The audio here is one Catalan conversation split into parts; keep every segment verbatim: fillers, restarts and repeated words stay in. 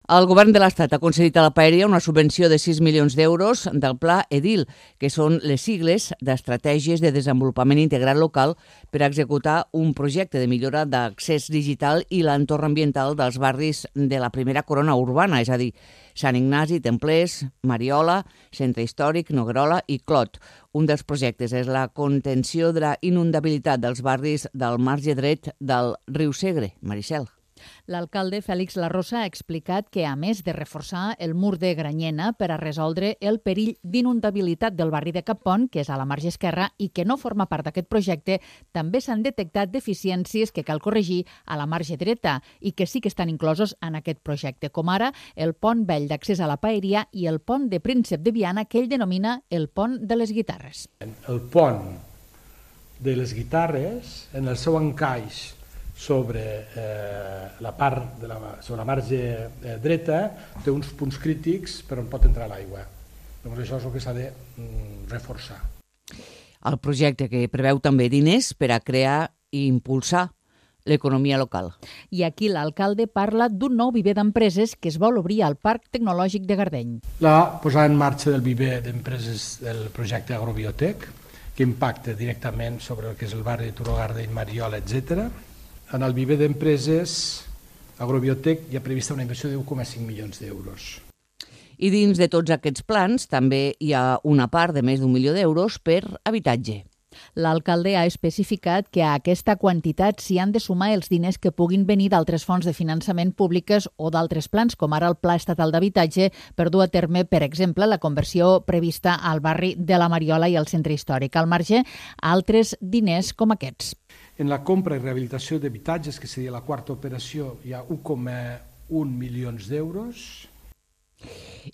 El govern de l'Estat ha concedit a la Paeria una subvenció de sis milions d'euros del Pla EDIL, que són les sigles d'Estratègies de Desenvolupament Integrat Local per a executar un projecte de millora d'accés digital i l'entorn ambiental dels barris de la primera corona urbana, és a dir, Sant Ignasi, Templers, Mariola, Centre Històric, Noguerola i Clot. Un dels projectes és la contenció de la inundabilitat dels barris del marge dret del riu Segre. Maricel. L'alcalde Fèlix Larrosa ha explicat que, a més de reforçar el mur de Granyena per a resoldre el perill d'inundabilitat del barri de Cappont, que és a la marge esquerra i que no forma part d'aquest projecte, també s'han detectat deficiències que cal corregir a la marge dreta i que sí que estan inclosos en aquest projecte, com ara el pont vell d'accés a la Paeria i el pont de Príncep de Viana, que ell denomina el pont de les guitarres. El pont de les guitarres, en el seu encaix sobre eh, la part de la, sobre la marge eh, dreta, té uns punts crítics per on pot entrar l'aigua. Doncs això és el que s'ha de mm, reforçar. El projecte que preveu també diners per a crear i impulsar l'economia local. I aquí l'alcalde parla d'un nou viver d'empreses que es vol obrir al Parc Tecnològic de Gardeny. La posada en marxa del viver d'empreses del projecte Agrobiotec, que impacta directament sobre el que és el barri de Turó, Gardeny, Mariola, etcètera. En el viver d'empreses Agrobiotec hi ha prevista una inversió de un coma cinc milions d'euros. I dins de tots aquests plans també hi ha una part de més d'un milió d'euros per habitatge. L'alcalde ha especificat que a aquesta quantitat s'hi han de sumar els diners que puguin venir d'altres fonts de finançament públiques o d'altres plans, com ara el Pla Estatal d'Habitatge, per dur a terme, per exemple, la conversió prevista al barri de la Mariola i al Centre Històric. Al marge, altres diners com aquests. En la compra i rehabilitació d'habitatges, que seria la quarta operació, hi ha un coma un milions d'euros.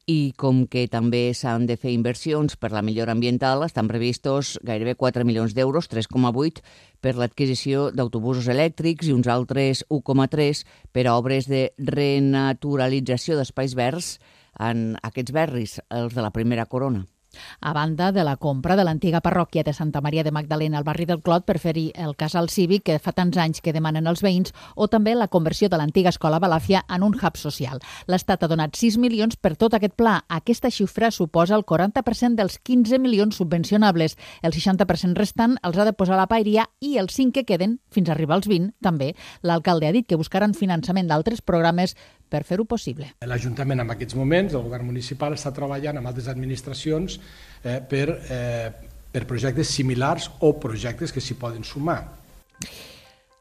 I com que també s'han de fer inversions per la millora ambiental, estan previstos gairebé quatre milions d'euros, tres coma vuit, per l'adquisició d'autobusos elèctrics i uns altres un coma tres per a obres de renaturalització d'espais verds en aquests barris, els de la primera corona. A banda de la compra de l'antiga parròquia de Santa Maria de Magdalena al barri del Clot per fer-hi el casal cívic que fa tants anys que demanen els veïns, o també la conversió de l'antiga escola Balàfia en un hub social. L'Estat ha donat sis milions per tot aquest pla. Aquesta xifra suposa el quaranta per cent dels quinze milions subvencionables. El seixanta per cent restant els ha de posar la Paeria i els cinc que queden, fins a arribar als vint, també. L'alcalde ha dit que buscaran finançament d'altres programes per fer-ho possible. L'Ajuntament en aquests moments, el govern municipal, està treballant amb altres administracions eh, per, eh, per projectes similars o projectes que s'hi poden sumar.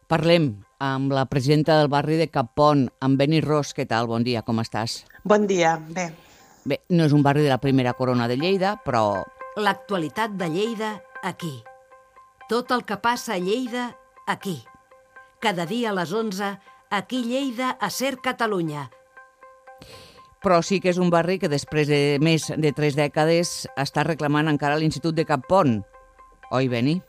Parlem amb la presidenta del barri de Cappont, amb Beni Ros. Què tal? Bon dia, com estàs? Bon dia, bé. Bé, no és un barri de la primera corona de Lleida, però... L'actualitat de Lleida, aquí. Tot el que passa a Lleida, aquí. Cada dia a les onze, aquí Lleida, a Ser Catalunya. Però sí que és un barri que després de més de tres dècades està reclamant encara l'Institut de Cappont. Oi, Beni?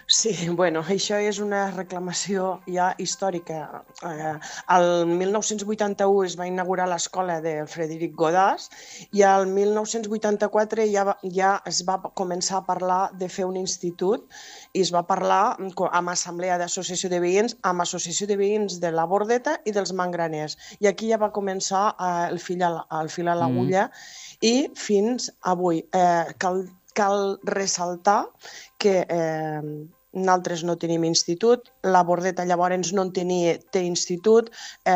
Sí, bueno, això és una reclamació ja històrica. Eh, el mil nou-cents vuitanta-u es va inaugurar l'escola de Frederic Godàs i el mil nou-cents vuitanta-quatre ja, ja es va començar a parlar de fer un institut i es va parlar amb assemblea d'associació de veïns, amb associació de veïns de la Bordeta i dels Mangraners. I aquí ja va començar eh, el fil a l'agulla mm. i fins avui. Eh, cal, cal ressaltar que eh, nosaltres no tenim institut, la Bordeta llavors no en tenia, té institut, eh,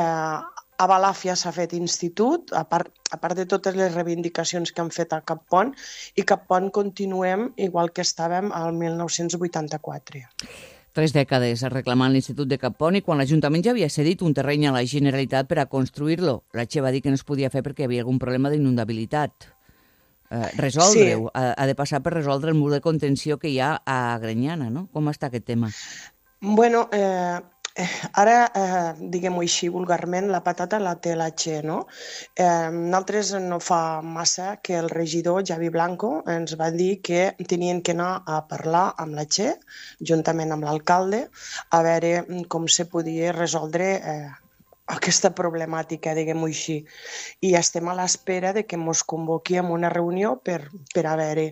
a Balàfia s'ha fet institut, a part, a part de totes les reivindicacions que han fet a Cappont, i Cappont continuem igual que estàvem al mil nou-cents vuitanta-quatre. Tres dècades reclamant l'Institut de Cappont i quan l'Ajuntament ja havia cedit un terreny a la Generalitat per a construir-lo. La Che va dir que no es podia fer perquè hi havia algun problema d'inundabilitat. Eh, resoldre-ho, sí. ha, ha de passar per resoldre el mur de contenció que hi ha a Granyena, no? Com està aquest tema? Bueno, eh, ara, eh, diguem-ho així vulgarment, la patata la té la Che, no? Eh, nosaltres no fa massa que el regidor Javi Blanco ens va dir que tenien que anar a parlar amb la Che, juntament amb l'alcalde, a veure com se podia resoldre eh, aquesta problemàtica, diguem-ho així. I estem a l'espera de que ens convoqui a una reunió per, per a veure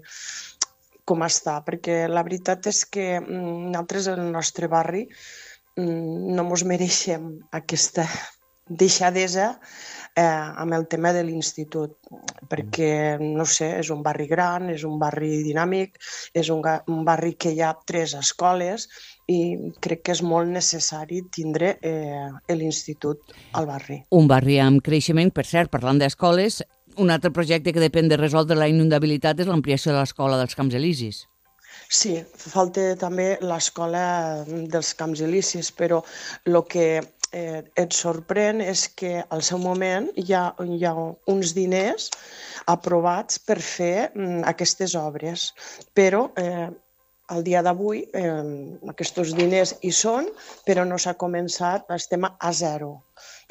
com està, perquè la veritat és que nosaltres, el nostre barri, no ens mereixem aquesta deixadesa eh, amb el tema de l'institut, perquè, no sé, és un barri gran, és un barri dinàmic, és un, un barri que hi ha tres escoles i crec que és molt necessari tindre eh, l'institut al barri. Un barri amb creixement, per cert, parlant d'escoles, un altre projecte que depèn de resoldre la inundabilitat és l'ampliació de l'escola dels Camps Elisis. Sí, falta també l'escola dels Camps Elisis, però el que eh, et sorprèn és que al seu moment hi ha, hi ha uns diners aprovats per fer mm, aquestes obres, però eh, al dia d'avui eh, aquests diners hi són, però no s'ha començat, estem a zero.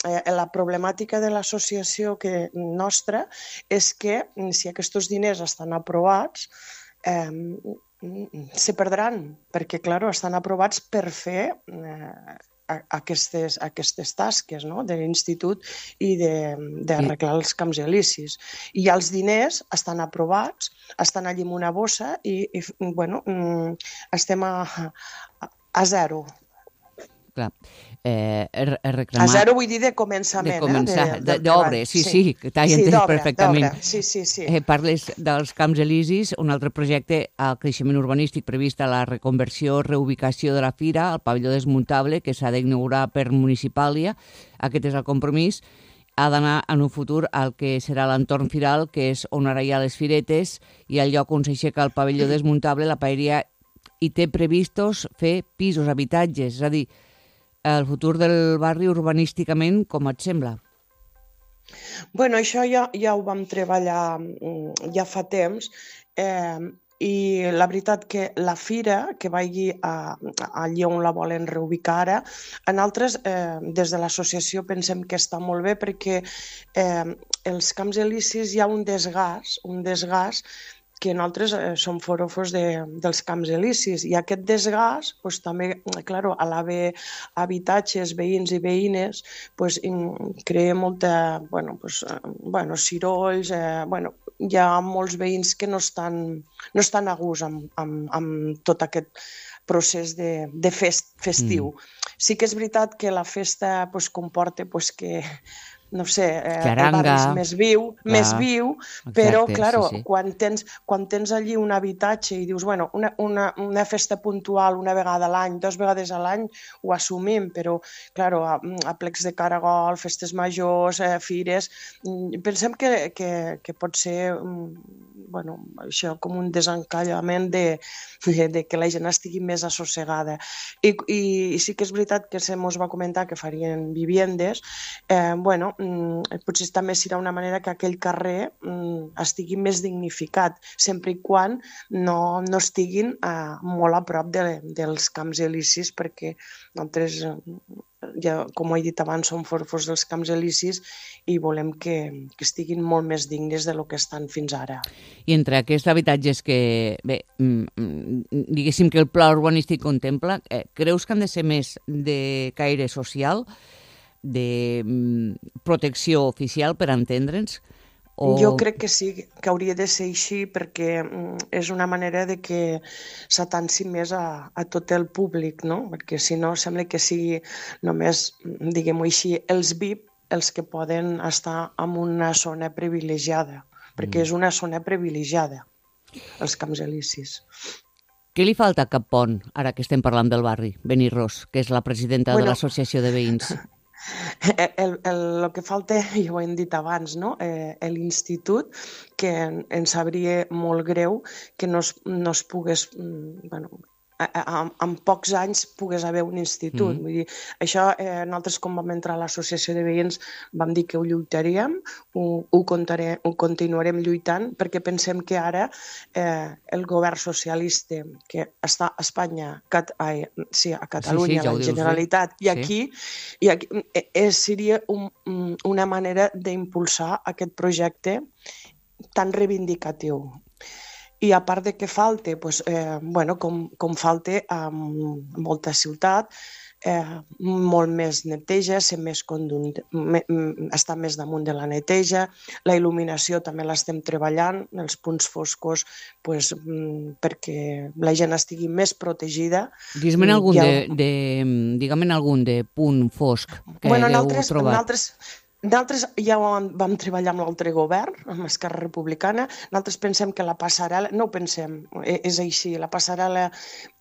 Eh, la problemàtica de l'associació que nostra és que si aquests diners estan aprovats, eh, se perdran, perquè, clar, estan aprovats per fer eh, aquestes, aquestes tasques, no?, de l'institut i d'arreglar els Camps Elisis. I els diners estan aprovats, estan allí en una bossa i, i bueno, estem a, a, a zero. Clar, eh, reclamar... A zero vull dir de començament, de començar, eh? De, d'obres, sí, sí, sí, que t'has entès perfectament. Sí, sí, sí. Eh, parles dels Camps Elisis, un altre projecte al creixement urbanístic previst a la reconversió, reubicació de la fira, al pavelló desmuntable, que s'ha d'inaugurar per municipàlia. Aquest és el compromís. Ha d'anar en un futur al que serà l'entorn firal, que és on ara hi ha les firetes, i al lloc on s'aixeca el pavelló desmuntable, la paeria hi té previstos fer pisos, habitatges, és a dir, el futur del barri urbanísticament, com et sembla? Bueno, això ja, ja ho vam treballar ja fa temps eh, i la veritat que la fira, que vagi a, allí on la volen reubicar ara, en altres, eh, des de l'associació pensem que està molt bé perquè eh, els Camps Elisis hi ha un desgast, un desgast que nosaltres eh, som forofos de, dels Camps Elisis i aquest desgast pues, també, clar, a l'haver habitatges, veïns i veïnes, pues, crea molta, bueno, pues, bueno, cirolls, eh, bueno, hi ha molts veïns que no estan, no estan a gust amb, amb, amb tot aquest procés de, de fest, festiu. Mm. Sí que és veritat que la festa pues, comporta pues, que no sé, eh, el barri és més viu, clar, més viu, però, exacte, clar, sí, sí. Quan, tens, quan tens allí un habitatge i dius, bueno, una, una, una festa puntual una vegada a l'any, dues vegades a l'any, ho assumim, però, clar, a, a plecs de caragol, festes majors, eh, fires, pensem que, que, que pot ser, bueno, això, com un desencallament de, de, de que la gent estigui més assossegada. I, i, i sí que és veritat que se mos va comentar que farien viviendes, eh, bueno, potser també serà una manera que aquell carrer estigui més dignificat, sempre i quan no, no estiguin eh, molt a prop de, dels Camps Elisis, perquè nosaltres, ja, com he dit abans, som forofos dels Camps Elisis i volem que, que estiguin molt més dignes del que estan fins ara. I entre aquests habitatges que, bé, diguéssim que el pla urbanístic contempla, eh, creus que han de ser més de caire social, de protecció oficial, per entendre'ns? O... Jo crec que sí, que hauria de ser així perquè és una manera de que s'atanci més a, a tot el públic, no? Perquè si no sembla que sigui només, diguem-ho així, els V I P els que poden estar en una zona privilegiada, perquè mm. és una zona privilegiada, els Camps Elisis. Què li falta a Capont, ara que estem parlant del barri, Benirros, que és la presidenta bueno, de l'associació de veïns? El, el, el que falta, ja ho hem dit abans, no? eh, l'institut, que ens sabria molt greu que no es, no es pogués, bueno, en, en pocs anys pogués haver un institut. Mm. Vull dir, això eh, nosaltres quan vam entrar a l'associació de veïns vam dir que ho lluitaríem, ho, ho, contaré, ho continuarem lluitant, perquè pensem que ara eh, el govern socialista que està a Espanya, cat, ai, sí, a Catalunya, sí, sí, ja la Generalitat, i aquí, sí. i aquí eh, seria un, una manera d'impulsar aquest projecte tan reivindicatiu. I a part de que falta, doncs, eh, bueno, com, com falta a molta ciutat, eh, molt més neteja, ser més condun... me, estar més damunt de la neteja. La il·luminació també l'estem treballant, els punts foscos, pues, perquè la gent estigui més protegida. Dis-me'n algun, ha... de, de, digue'm algun de punt fosc que bueno, heu altres, trobat. Nosaltres, nosaltres ja vam, vam treballar amb l'altre govern, amb Esquerra Republicana. Nosaltres pensem que la passarel·la, no ho pensem, és així, la passarel·la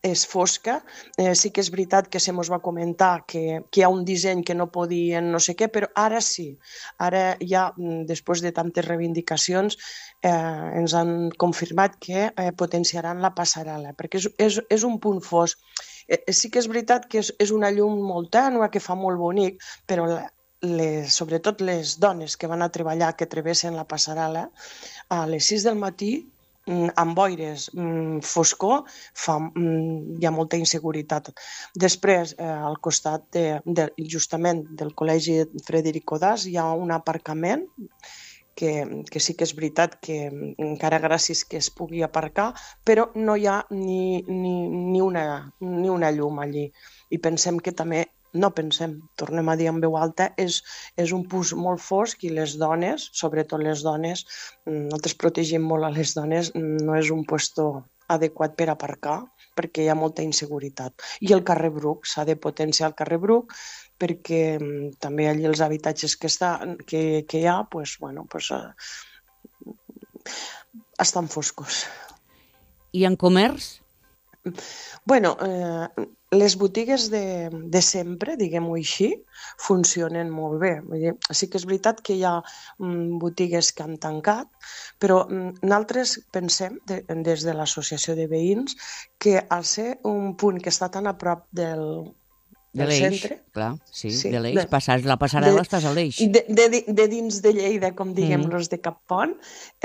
és fosca. Eh, sí que és veritat que se mos va comentar que, que hi ha un disseny que no podien no sé què, però ara sí. Ara ja, després de tantes reivindicacions, eh, ens han confirmat que eh, potenciaran la passarel·la, perquè és, és, és un punt fosc. Eh, sí que és veritat que és, és una llum molt tènue, que fa molt bonic, però la, Les, sobretot les dones que van a treballar, que travessen la passarel·la, a les sis del matí, amb boires, foscor, fa, hi ha molta inseguretat. Després, eh, al costat de, de, justament del Col·legi Frederic Codàs, hi ha un aparcament que, que sí que és veritat que encara gràcies que es pugui aparcar, però no hi ha ni, ni, ni, una, ni una llum allí. I pensem que també No pensem, tornem a dir en veu alta, és, és un punt molt fosc i les dones, sobretot les dones, nosaltres protegim molt a les dones, no és un lloc adequat per aparcar perquè hi ha molta inseguretat. I el carrer Bruc, s'ha de potenciar el carrer Bruc perquè també allí els habitatges que, està, que, que hi ha pues, bueno, pues, uh, estan foscos. I en comerç? Bueno, eh, les botigues de, de sempre, diguem-ho així, funcionen molt bé. Vull dir, sí que és veritat que hi ha mm, botigues que han tancat, però mm, nosaltres pensem, de, des de l'associació de veïns, que al ser un punt que està tan a prop del, de del l'Eix, centre... clar, sí, sí de l'Eix, de, passar la passarel·la de, estàs a l'Eix. De, de, de dins de Lleida, com diguem, mm. los de Cap Pont,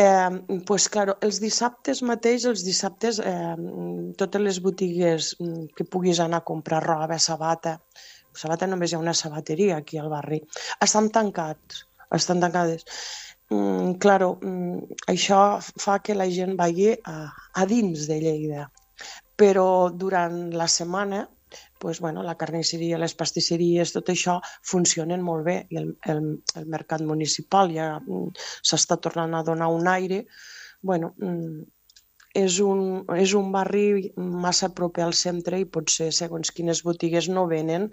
eh, pues, claro, els dissabtes mateix, els dissabtes, eh, totes les botigues que puguis anar a comprar roba, sabata, sabata només hi ha una sabateria aquí al barri, estan tancats, estan tancades. Mm, claro, mm, això fa que la gent vagi a, a dins de Lleida, però durant la setmana pues, bueno, la carnisseria, les pastisseries, tot això funcionen molt bé i el, el, el mercat municipal ja s'està tornant a donar un aire. Bueno, és un, és un barri massa proper al centre i potser segons quines botigues no venen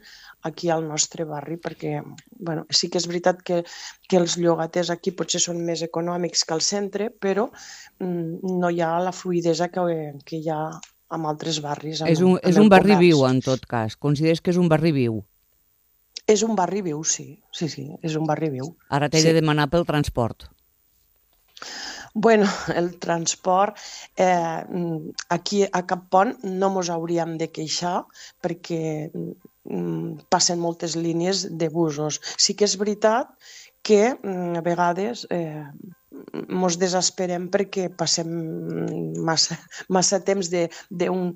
aquí al nostre barri perquè bueno, sí que és veritat que, que els llogaters aquí potser són més econòmics que al centre, però mm, no hi ha la fluidesa que, que hi ha amb altres barris. És un, és un barri viu, en tot cas. Consideres que és un barri viu? És un barri viu, sí. Sí, sí, és un barri viu. Ara t'he sí. de demanar pel transport. Bueno, el transport, eh, aquí a Cap Pont no mos hauríem de queixar perquè mm, passen moltes línies de busos. Sí que és veritat que a vegades eh, mos desesperem perquè passem massa, massa temps d'un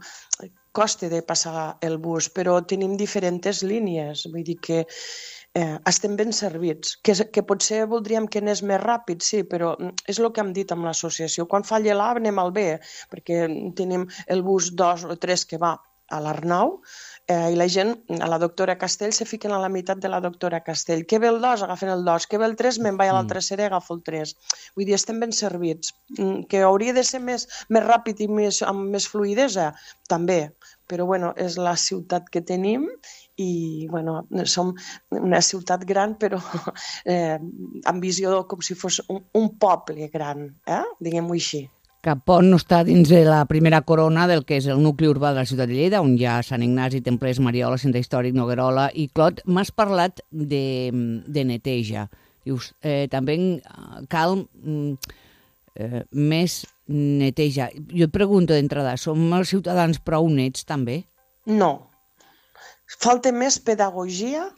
coste de passar el bus, però tenim diferents línies, vull dir que eh, estem ben servits, que, que potser voldríem que anés més ràpid, sí, però és el que hem dit amb l'associació, quan falla l'A anem al B, perquè tenim el bus dos o tres que va a l'Arnau, eh, i la gent, a la doctora Castell, se fiquen a la meitat de la doctora Castell. Què ve el dos? Agafen el dos. Què ve el tres? Me'n vaig a l'altra sèrie i agafo el tres. Vull dir, estem ben servits. Que hauria de ser més, més ràpid i més, amb més fluidesa? També. Però, bueno, és la ciutat que tenim i, bueno, som una ciutat gran, però eh, amb visió com si fos un, un poble gran, eh? Diguem-ho així. Cap Pont no està dins de la primera corona del que és el nucli urbà de la ciutat de Lleida, on hi ha Sant Ignasi, Templers, Mariola, Centre Històric, Noguerola i Clot. M'has parlat de, de neteja. Dius, eh, també cal eh, més neteja. Jo et pregunto d'entrada, som els ciutadans prou nets també? No. Falta més pedagogia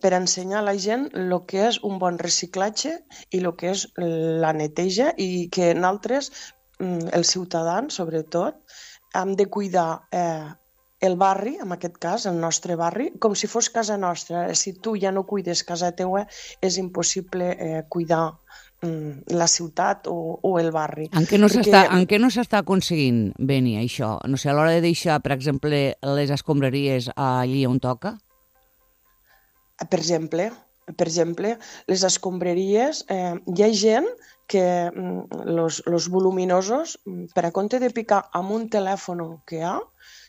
per ensenyar a la gent el que és un bon reciclatge i el que és la neteja i que nosaltres, els ciutadans, sobretot, hem de cuidar eh, el barri, en aquest cas, el nostre barri, com si fos casa nostra. Si tu ja no cuides casa teua, és impossible eh, cuidar mm, la ciutat o, o el barri. En què no s'està Perquè... no s'està aconseguint, Beni, això? No sé, a l'hora de deixar, per exemple, les escombraries allí on toca? Per exemple, per exemple, les escombraries, eh, hi ha gent que els voluminosos, per a compte de picar amb un telèfon que hi ha,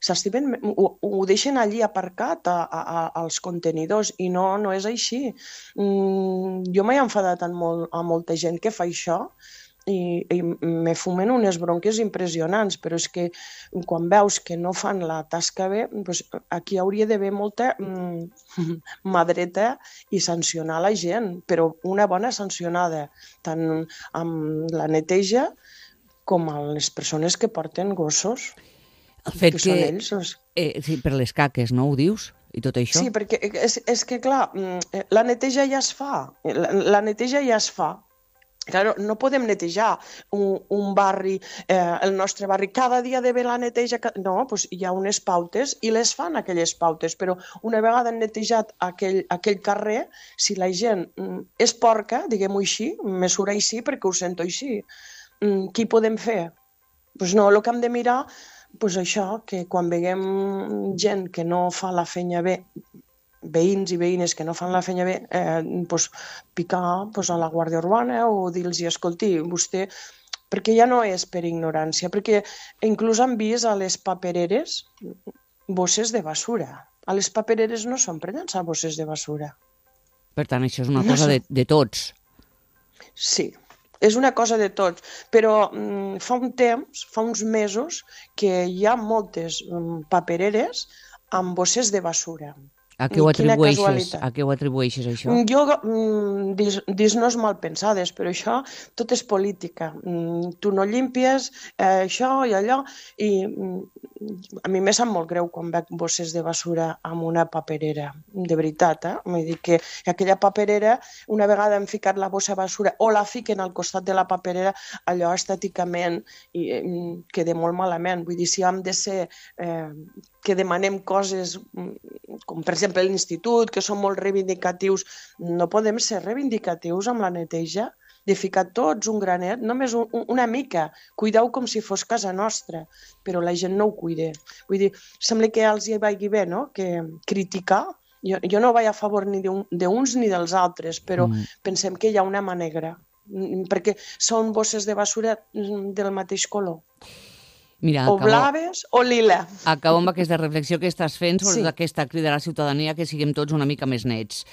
s'estimen, ho, ho deixen allí aparcat a, a, als contenidors i no, no és així. Mm, jo m'he enfadat amb, molt, amb molta gent que fa això i, i me fumen unes bronques impressionants, però és que quan veus que no fan la tasca bé, doncs aquí hauria d'haver molta mm, mà dreta i sancionar la gent, però una bona sancionada, tant amb la neteja com a les persones que porten gossos. El fet que, que, són ells, els... eh, sí, per les caques, no ho dius? I tot això? Sí, perquè és, és que, clar, la neteja ja es fa, la, la neteja ja es fa. Claro, no podem netejar un, un barri, eh, el nostre barri, cada dia de ve la neteja. No, doncs hi ha unes pautes i les fan aquelles pautes, però una vegada han netejat aquell, aquell carrer, si la gent mm, és porca, diguem-ho així, me surt així perquè ho sento així, mm, què podem fer? Doncs no, el que hem de mirar, doncs això, que quan veiem gent que no fa la feina bé, veïns i veïnes que no fan la feina bé, eh, doncs picar doncs, a la Guàrdia Urbana o dir-los, escolti, vostè... Perquè ja no és per ignorància, perquè inclús han vist a les papereres bosses de basura. A les papereres no són per llançar bosses de basura. Per tant, això és una cosa no de, de tots. Sí, és una cosa de tots, però mm, fa un temps, fa uns mesos, que hi ha moltes mm, papereres amb bosses de basura. A què ho atribueixes, a què ho atribueixes això? Jo, mm, dis-nos mal pensades, però això tot és política. Mm, tu no llimpies eh, això i allò, i mm, a mi me sap molt greu quan veig bosses de basura amb una paperera, de veritat, eh? Vull dir que aquella paperera, una vegada hem ficat la bossa de basura o la fiquen al costat de la paperera, allò estèticament i, mm, queda molt malament. Vull dir, si hem de ser... Eh, que demanem coses, com per exemple l'institut, que són molt reivindicatius, no podem ser reivindicatius amb la neteja, de ficar tots un granet, només un, una mica, cuideu com si fos casa nostra, però la gent no ho cuida. Vull dir, sembla que els hi vagi bé, no?, que criticar, jo, jo no vaig a favor ni d'uns ni dels altres, però mm. pensem que hi ha una mà negra, perquè són bosses de basura del mateix color. Mira, o acabo, blaves o lila. Acabo amb aquesta reflexió que estàs fent sobre sí. aquesta crida a la ciutadania que siguem tots una mica més nets.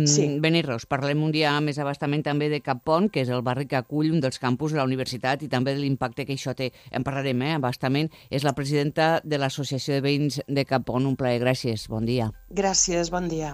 Sí. Beni Ros, parlem un dia més abastament també de Cap Pont, que és el barri que acull un dels campus de la universitat i també de l'impacte que això té. En parlarem, eh, abastament. És la presidenta de l'Associació de Veïns de Cap Pont. Un plaer, gràcies. Bon dia. Gràcies, bon dia.